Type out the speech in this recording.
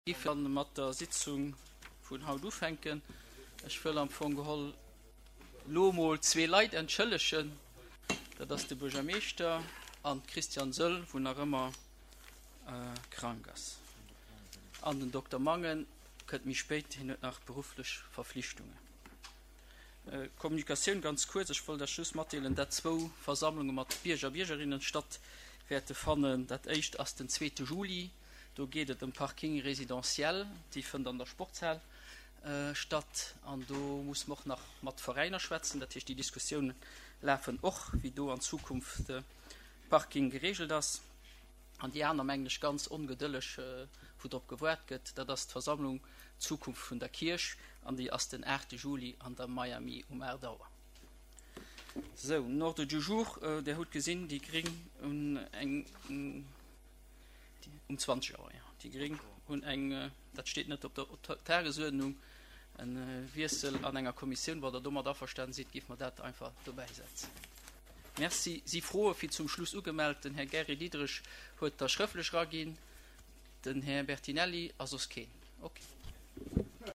Giff dann mat der Sitzung vun haut ufänken. Ech wëll am Fong geholl lo mol zwee Leit entschëllegen. Dat ass de Buergermeeschter an d'Christiane Söll, wou nach ëmmer krank ass. An den Dokter Mangen kënnt méi spéit, hien huet nach berufflech Verflichtungen. Kommunikatioun ganz kuerz, Ech wollt Iech just matdeelen, dat zwou Versammlunge mat Bierger a Biergerinnen statt wäerte fannen. Dat éischt ass den zweete Juli. Do geet et ëm Parking résidentiel, déi fënnt an der Sportshal statt. An do musse mer och nach mat Veräiner schwätzen. Dat heescht, déi Diskussioune lafen och, wéi do an Zukunft de Parking geregelt ass. An déi aner, mengen ech, ganz ongedëlleg, wou drop gewaart gëtt, dat ass d'Versammlung Zukunft vun der Kierch an déi ass den 8 Juli an der Miami um 8 Auer. Sou, den Ordre du jour, Där hutt gesinn, déi Gréng hunn eng. Um 20 Auer, jo. Déi Gréng hunn eng, dat steet net op der Tagesuerdnung, e Wiessel an enger Kommissioun. Wann Der domat averstanen sidd, géife mer dat einfach dobäisetzen. Merci. Si Froe fir zum Schluss ugemellt? Den Här Gary Diderich huet der schrëftlech eraginn, den Här Bertinelli a soss keen. Okay.